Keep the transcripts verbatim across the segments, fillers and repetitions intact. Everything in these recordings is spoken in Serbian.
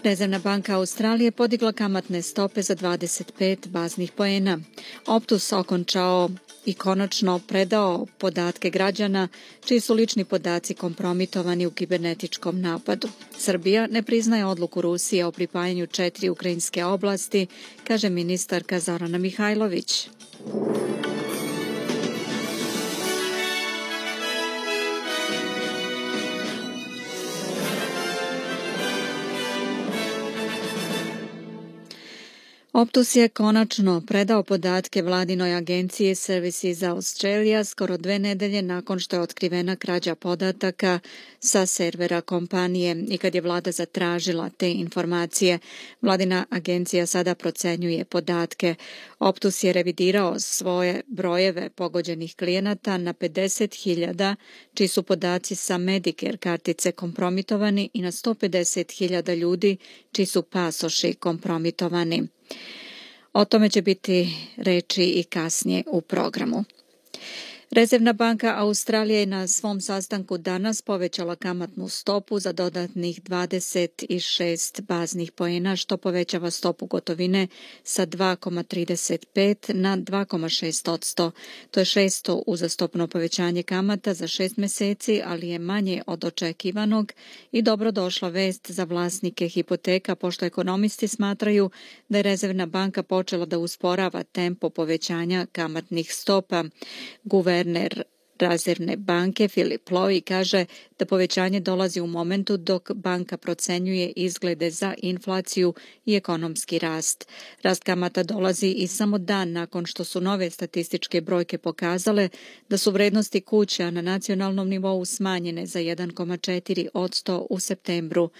Rezervna banka Australije podigla kamatne stope za dvadeset pet baznih poena. Optus okončao i konačno predao podatke građana čiji su lični podaci kompromitovani u kibernetičkom napadu. Srbija ne priznaje odluku Rusije o pripajanju četiri ukrajinske oblasti, kaže ministarka Zorana Mihajlović. Optus je konačno predao podatke vladinoj agenciji Services Australia skoro dve nedelje nakon što je otkrivena krađa podataka sa servera kompanije i kad je vlada zatražila te informacije. Vladina agencija sada procenjuje podatke. Optus je revidirao svoje brojeve pogođenih klijenata na pedeset hiljada, čiji su podaci sa Medicare kartice kompromitovani i na sto pedeset hiljada ljudi čiji su pasoši kompromitovani. O tome će biti reči i kasnije u programu. Rezervna banka Australije je na svom sastanku danas povećala kamatnu stopu za dodatnih dvadeset šest baznih poena, što povećava stopu gotovine sa dva zarez trideset pet na dva zarez šest posto. To je šesto uzastopno povećanje kamata za šest meseci, ali je manje od očekivanog i dobrodošla vest za vlasnike hipoteka, pošto ekonomisti smatraju da je Rezervna banka počela da usporava tempo povećanja kamatnih stopa. Guverner Rezervne banke Philip Lowe kaže da povećanje dolazi u momentu dok banka procenjuje izglede za inflaciju i ekonomski rast. Rast kamata dolazi i samo dan nakon što su nove statističke brojke pokazale da su vrednosti kuća na nacionalnom nivou smanjene za jedan zarez četiri posto u septembru.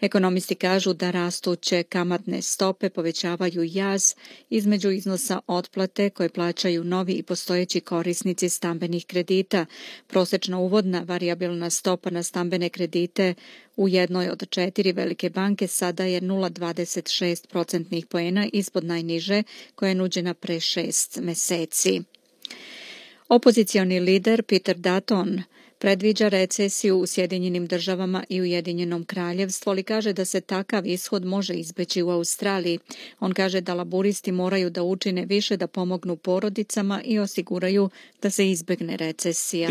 Ekonomisti kažu da rastuće kamatne stope povećavaju jaz između iznosa otplate koje plaćaju novi i postojeći korisnici stambenih kredita. Prosečna uvodna varijabilna stopa na stambene kredite u jednoj od četiri velike banke sada je nula zarez dvadeset šest procentnih poena ispod najniže koja je nuđena pre šest meseci. Opozicioni lider Peter Dutton predviđa recesiju u Sjedinjenim državama i Ujedinjenom kraljevstvu, ali kaže da se takav ishod može izbeći u Australiji. On kaže da laburisti moraju da učine više da pomognu porodicama i osiguraju da se izbegne recesija.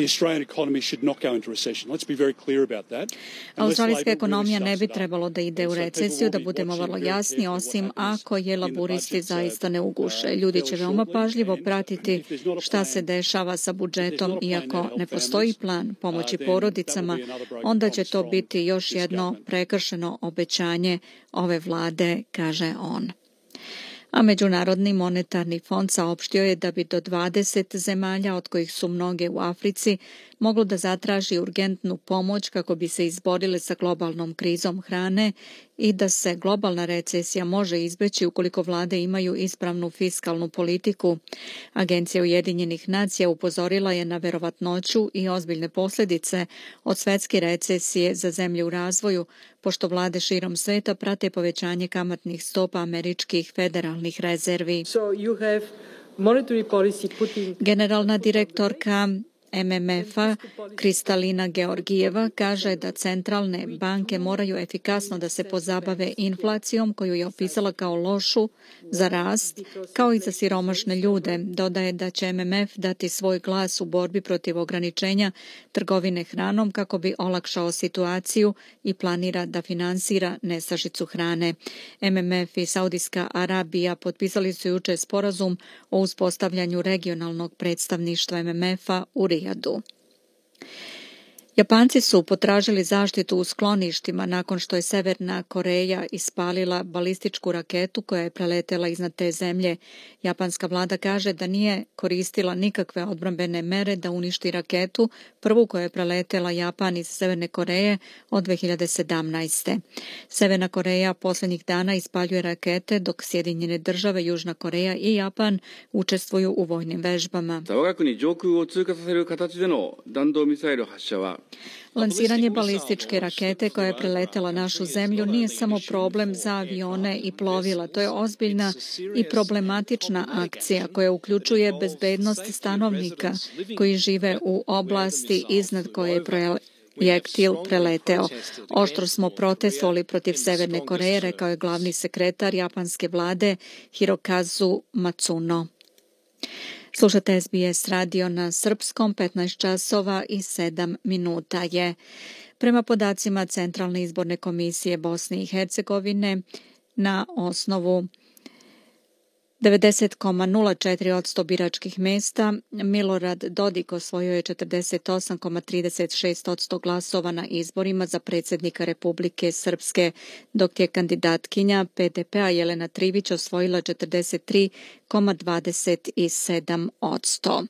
Australijska ekonomija ne bi trebalo da ide u recesiju, da budemo vrlo jasni, osim ako je laburisti zaista ne uguše. Ljudi će veoma pažljivo pratiti šta se dešava sa budžetom, iako ne postoji plan pomoći porodicama, onda će to biti još jedno prekršeno obećanje ove vlade, kaže on. A Međunarodni monetarni fond saopštio je da bi do dvadeset zemalja, od kojih su mnoge u Africi, moglo da zatraži urgentnu pomoć kako bi se izborile sa globalnom krizom hrane i da se globalna recesija može izbeći ukoliko vlade imaju ispravnu fiskalnu politiku. Agencija Ujedinjenih nacija upozorila je na verovatnoću i ozbiljne posljedice od svetske recesije za zemlje u razvoju, pošto vlade širom sveta prate povećanje kamatnih stopa američkih federalnih rezervi. Generalna direktorka M M F-a Kristalina Georgijeva kaže da centralne banke moraju efikasno da se pozabave inflacijom koju je opisala kao lošu za rast, kao i za siromašne ljude. Dodaje da će M M F dati svoj glas u borbi protiv ograničenja trgovine hranom kako bi olakšao situaciju i planira da finansira nestašicu hrane. M M F i Saudijska Arabija potpisali su juče sporazum o uspostavljanju regionalnog predstavništva M M F-a u Rijadu. Japanci su potražili zaštitu u skloništima nakon što je Severna Koreja ispalila balističku raketu koja je preletela iznad te zemlje. Japanska vlada kaže da nije koristila nikakve odbrambene mere da uništi raketu, prvu koja je preletela Japan iz Severne Koreje od dve hiljade sedamnaeste. Severna Koreja posljednjih dana ispaljuje rakete, dok Sjedinjene države, Južna Koreja i Japan učestvuju u vojnim vežbama. Lansiranje balističke rakete koja je preletela našu zemlju nije samo problem za avione i plovila. To je ozbiljna i problematična akcija koja uključuje bezbednost stanovnika koji žive u oblasti iznad koje je projektil preleteo. Oštro smo protestovali protiv Severne Koreje, rekao je glavni sekretar japanske vlade Hirokazu Matsuno. Slušate S B S radio na srpskom, petnaest časova i sedam minuta je. Prema podacima Centralne izborne komisije Bosne i Hercegovine, na osnovu devedeset zarez nula četiri posto biračkih mesta, Milorad Dodik osvojio je četrdeset osam zarez trideset šest posto glasova na izborima za predsjednika Republike Srpske, dok je kandidatkinja P D P-a Jelena Trivić osvojila četrdeset tri zarez dvadeset sedam posto.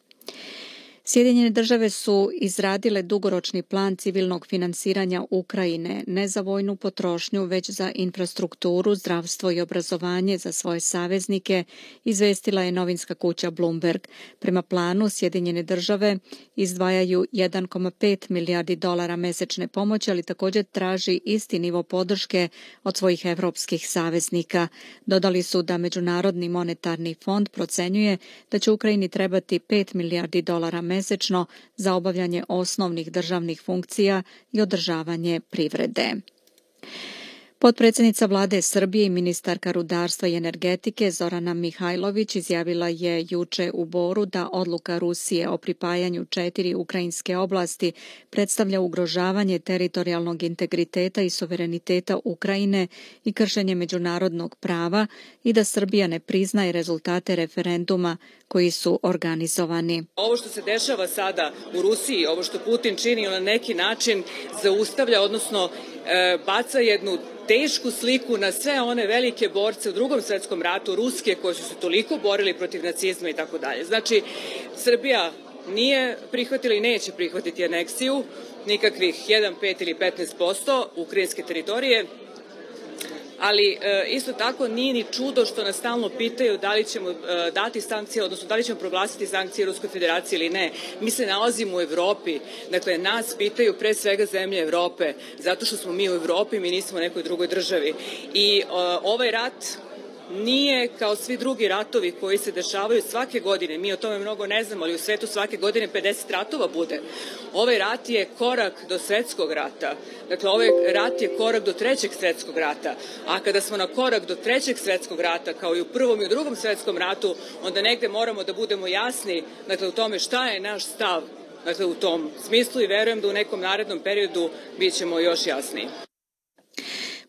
Sjedinjene države su izradile dugoročni plan civilnog finansiranja Ukrajine, ne za vojnu potrošnju, već za infrastrukturu, zdravstvo i obrazovanje za svoje saveznike, izvestila je novinska kuća Bloomberg. Prema planu, Sjedinjene države izdvajaju jedan zarez pet milijardi dolara mesečne pomoći, ali također traži isti nivo podrške od svojih evropskih saveznika. Dodali su da Međunarodni monetarni fond procenjuje da će Ukrajini trebati pet milijardi dolara mesečno za obavljanje osnovnih državnih funkcija i održavanje privrede. Potpredsjednica vlade Srbije i ministarka rudarstva i energetike Zorana Mihajlović izjavila je juče u Boru da odluka Rusije o pripajanju četiri ukrajinske oblasti predstavlja ugrožavanje teritorijalnog integriteta i suvereniteta Ukrajine i kršenje međunarodnog prava i da Srbija ne priznaje rezultate referenduma koji su organizovani. Ovo što se dešava sada u Rusiji, ovo što Putin čini, na neki način zaustavlja, odnosno e, baca jednu tešku sliku na sve one velike borce u Drugom svjetskom ratu, ruske, koji su se toliko borili protiv nacizma i tako dalje. Znači, Srbija nije prihvatila i neće prihvatiti aneksiju nikakvih jedan, pet ili petnaest posto ukrajinske teritorije, ali e, isto tako nije ni čudo što nas stalno pitaju da li ćemo e, dati sankcije, odnosno da li ćemo proglasiti sankcije Ruskoj federaciji ili ne. Mi se nalazimo u Evropi, dakle nas pitaju pre svega zemlje Evrope, zato što smo mi u Evropi, mi nismo u nekoj drugoj državi. I e, ovaj rat nije kao svi drugi ratovi koji se dešavaju svake godine, mi o tome mnogo ne znamo, ali u svetu svake godine pedeset ratova bude. Ovaj rat je korak do svetskog rata, dakle ovaj rat je korak do trećeg svetskog rata, a kada smo na korak do trećeg svetskog rata, kao i u prvom i u drugom svetskom ratu, onda negde moramo da budemo jasni, dakle u tome šta je naš stav, dakle u tom smislu, i verujem da u nekom narednom periodu bit ćemo još jasniji.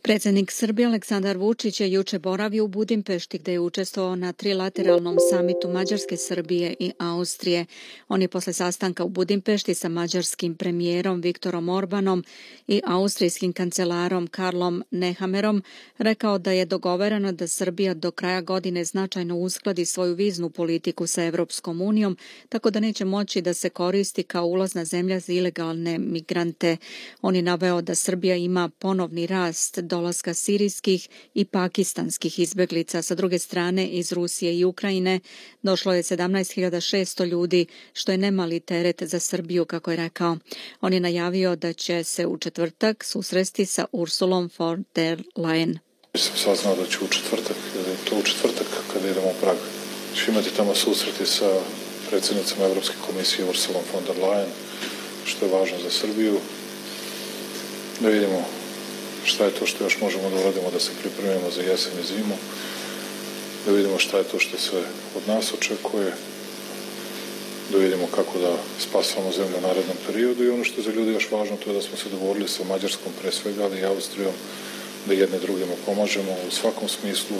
Predsjednik Srbije Aleksandar Vučić je juče boravio u Budimpešti gdje je učestvovao na trilateralnom samitu Mađarske, Srbije i Austrije. On je posle sastanka u Budimpešti sa mađarskim premijerom Viktorom Orbanom i austrijskim kancelarom Karlom Nehammerom rekao da je dogovoreno da Srbija do kraja godine značajno uskladi svoju viznu politiku sa Evropskom unijom, tako da neće moći da se koristi kao ulazna zemlja za ilegalne migrante. On je naveo da Srbija ima ponovni rast dolaska sirijskih i pakistanskih izbjeglica. Sa druge strane, iz Rusije i Ukrajine došlo je sedamnaest hiljada šesto ljudi, što je nemali teret za Srbiju, kako je rekao. On je najavio da će se u četvrtak susresti sa Ursulom von der Leyen. Sam saznao da ću u četvrtak, da je to u četvrtak kada idemo u Prag. Ću imati tamo susreti sa predsjednicom Evropske komisije Ursulom von der Leyen, što je važno za Srbiju. Da vidimo šta je to što još možemo da uradimo da se pripremimo za jesen i zimu, da vidimo šta je to što se od nas očekuje, da vidimo kako da spasamo zemlju u narednom periodu, i ono što je za ljudi još važno, to je da smo se dogovorili sa Mađarskom pre svega, ali i Austrijom, da jedne drugima pomažemo u svakom smislu.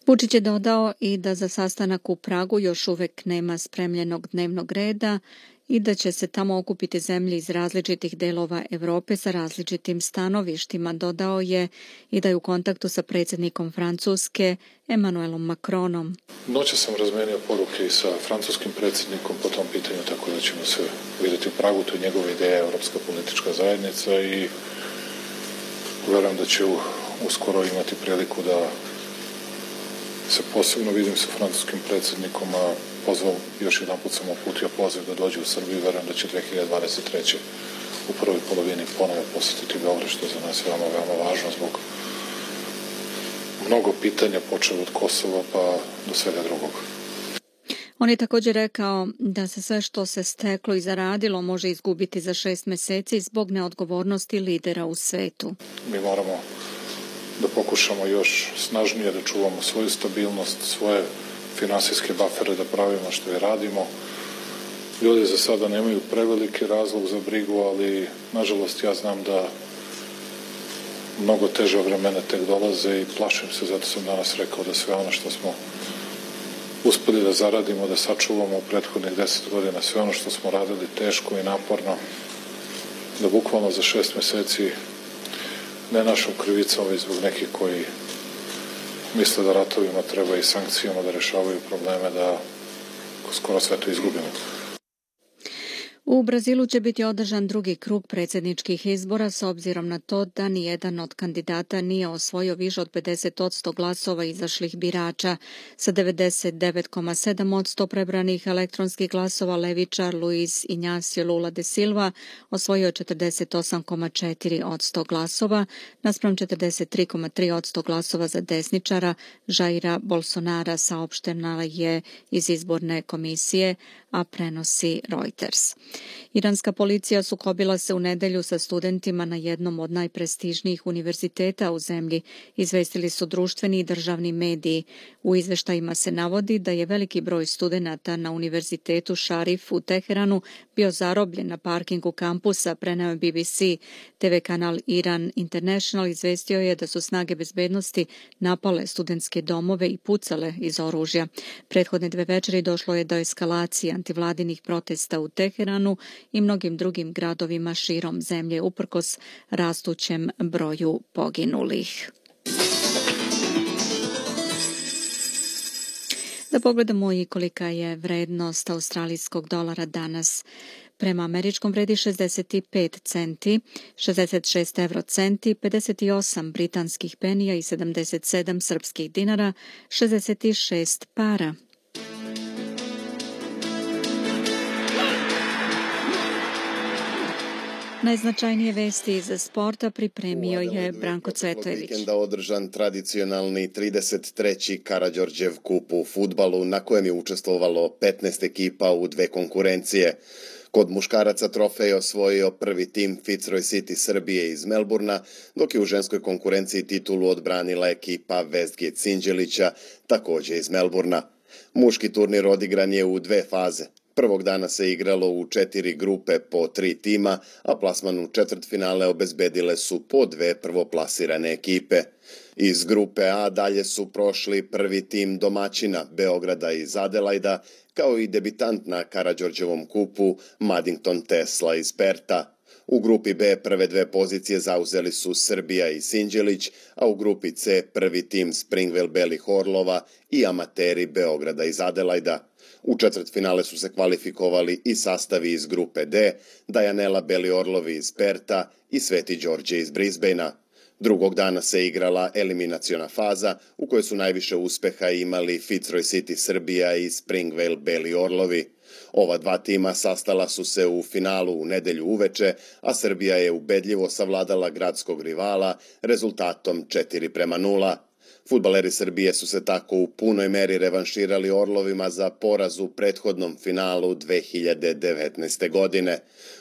Vučić je dodao i da za sastanak u Pragu još uvek nema spremljenog dnevnog reda i da će se tamo okupiti zemlje iz različitih delova Evrope sa različitim stanovištima. Dodao je i da je u kontaktu sa predsjednikom Francuske Emmanuelom Macronom. Noće sam razmenio poruke i sa francuskim predsjednikom po tom pitanju, tako da ćemo se vidjeti u Pragu. To je njegova ideja, Evropska politička zajednica, i verujem da će uskoro imati priliku da se posebno vidim sa francuskim predsjednikom, a pozvao, još jedan put sam uputio poziv da dođe u Srbiju, verujem da će dve hiljade dvadeset treće u prvoj polovini ponovo posjetiti Beograd, što je za nas veoma, veoma važno zbog mnogo pitanja, počeo od Kosova pa do svega drugog. On je također rekao da se sve što se steklo i zaradilo može izgubiti za šest meseci zbog neodgovornosti lidera u svetu. Mi moramo da pokušamo još snažnije da čuvamo svoju stabilnost, svoje finansijske bafere da pravimo što i radimo. Ljudi za sada nemaju preveliki razlog za brigu, ali nažalost ja znam da mnogo teže vremena tek dolaze i plašim se, zato sam danas rekao da sve ono što smo uspeli da zaradimo, da sačuvamo u prethodnih deset godina, sve ono što smo radili teško i naporno, da bukvalno za šest meseci, ne našom krivicom, već zbog nekih koji misle da ratovima treba i sankcijama da rešavaju probleme, da skoro sve to izgubimo. U Brazilu će biti održan drugi krug predsjedničkih izbora s obzirom na to da nijedan od kandidata nije osvojio više od pedeset posto glasova izašlih birača. Sa devedeset devet zarez sedam posto prebranih elektronskih glasova levičar Luiz Inácio Lula da Silva osvojio je četrdeset osam zarez četiri posto glasova, naspram četrdeset tri zarez tri posto glasova za desničara Jaira Bolsonara, saopštena je iz izborne komisije, a prenosi Reuters. Iranska policija sukobila se u nedelju sa studentima na jednom od najprestižnijih univerziteta u zemlji, izvestili su društveni i državni mediji. U izveštajima se navodi da je veliki broj studenata na univerzitetu Šarif u Teheranu bio zarobljen na parkingu kampusa, preneo je B B C. T V kanal Iran International izvestio je da su snage bezbednosti napale studentske domove i pucale iz oružja. Prethodne dve večeri došlo je do eskalacije antivladinih protesta u Teheranu i mnogim drugim gradovima širom zemlje uprkos rastućem broju poginulih. Da pogledamo i kolika je vrednost australijskog dolara danas. Prema američkom vredi šezdeset pet centi, šezdeset šest evrocenti, pedeset osam britanskih penija i sedamdeset sedam srpskih dinara, šezdeset šest para. Najznačajnije vesti iz sporta pripremio je Branko Cvetojević. Vikenda održan tradicionalni trideset treći Karađorđev kup u fudbalu, na kojem je učestvovalo petnaest ekipa u dve konkurencije. Kod muškaraca trofej je osvojio prvi tim Fitzroy City Srbije iz Melburna, dok je u ženskoj konkurenciji titulu odbranila ekipa Westgate Sinđelića, također iz Melburna. Muški turnir odigran je u dve faze. Prvog dana se igralo u četiri grupe po tri tima, a plasman u četvrtfinale obezbedile su po dve prvoplasirane ekipe. Iz grupe A dalje su prošli prvi tim domaćina Beograda iz Adelajda, kao i debitant na Karađorđevom kupu Maddington Tesla iz Perta. U grupi B prve dve pozicije zauzeli su Srbija i Sinđelić, a u grupi C prvi tim Springvale Belih Orlova i amateri Beograda iz Adelajda. U četvrtfinale su se kvalifikovali i sastavi iz grupe D, Dajanela Beli Orlovi iz Perta i Sveti Đorđe iz Brisbanea. Drugog dana se igrala eliminaciona faza u kojoj su najviše uspeha imali Fitzroy City Srbija i Springvale Beli Orlovi. Ova dva tima sastala su se u finalu u nedelju uveče, a Srbija je ubedljivo savladala gradskog rivala rezultatom četiri prema nula. Fudbaleri Srbije su se tako u punoj meri revanširali Orlovima za poraz u prethodnom finalu dve hiljade devetnaeste. godine.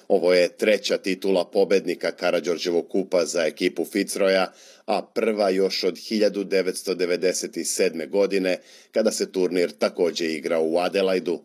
Ovo je treća titula pobednika Karađorđevog kupa za ekipu Fitzroya, a prva još od hiljadu devetsto devedeset sedme. godine, kada se turnir također igrao u Adelaidu.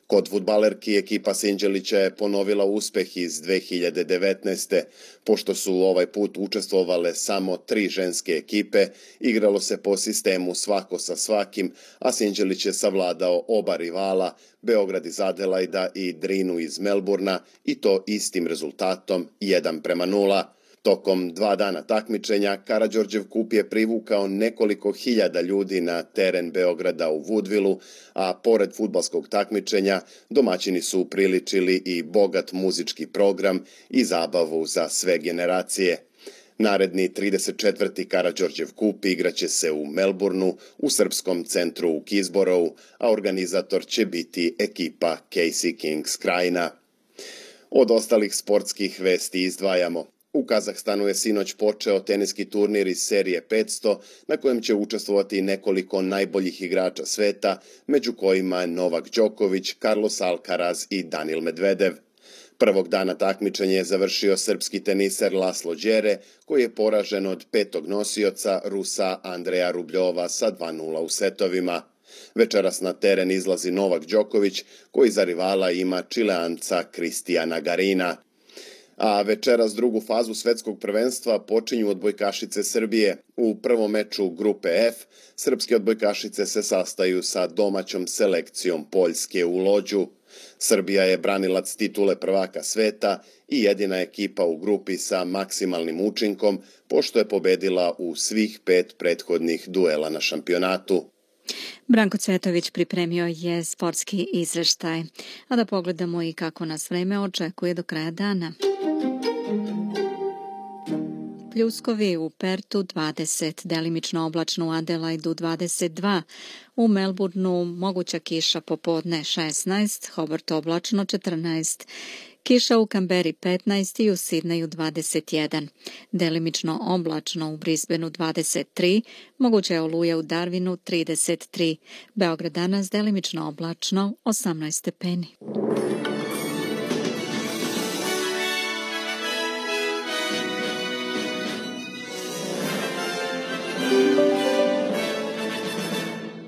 Kod fudbalerki ekipa Sinđelića je ponovila uspeh iz dve hiljade devetnaeste. Pošto su ovaj put učestvovale samo tri ženske ekipe, igralo se po sistemu svako sa svakim, a Sinđelić je savladao oba rivala, Beograd iz Adelajda i Drinu iz Melburna, i to istim rezultatom jedan prema nula. Tokom dva dana takmičenja, Karađorđev kup je privukao nekoliko hiljada ljudi na teren Beograda u Woodvilleu, a pored fudbalskog takmičenja, domaćini su upriličili i bogat muzički program i zabavu za sve generacije. Naredni trideset četvrti Karađorđev kup igraće se u Melbourneu, u srpskom centru u Kisborou, a organizator će biti ekipa Casey Kings Krajina. Od ostalih sportskih vesti izdvajamo. U Kazahstanu je sinoć počeo teniski turnir iz serije petsto na kojem će učestvovati nekoliko najboljih igrača sveta, među kojima je Novak Đoković, Carlos Alcaraz i Danil Medvedev. Prvog dana takmičenja je završio srpski teniser Laslo Đere, koji je poražen od petog nosioca Rusa Andreja Rubljova sa dva nula u setovima. Večeras na teren izlazi Novak Đoković, koji za rivala ima Čileanca Kristijana Garina. A večeras drugu fazu svetskog prvenstva počinju odbojkašice Srbije. U prvom meču grupe F srpske odbojkašice se sastaju sa domaćom selekcijom Poljske u Lođu. Srbija je branilac titule prvaka sveta i jedina ekipa u grupi sa maksimalnim učinkom, pošto je pobedila u svih pet prethodnih duela na šampionatu. Branko Cvetović pripremio je sportski izveštaj. A da pogledamo i kako nas vreme očekuje do kraja dana. Pljuskovi u Pertu dvadeset, delimično oblačno u Adelaidu dvadeset dva, u Melbourneu moguća kiša popodne šesnaest, Hobart oblačno četrnaest, kiša u Kamberi petnaest i u Sidneju dvadeset jedan, delimično oblačno u Brisbaneu dvadeset tri, moguća je oluja u Darwinu trideset tri, Beograd danas delimično oblačno osamnaest stepeni.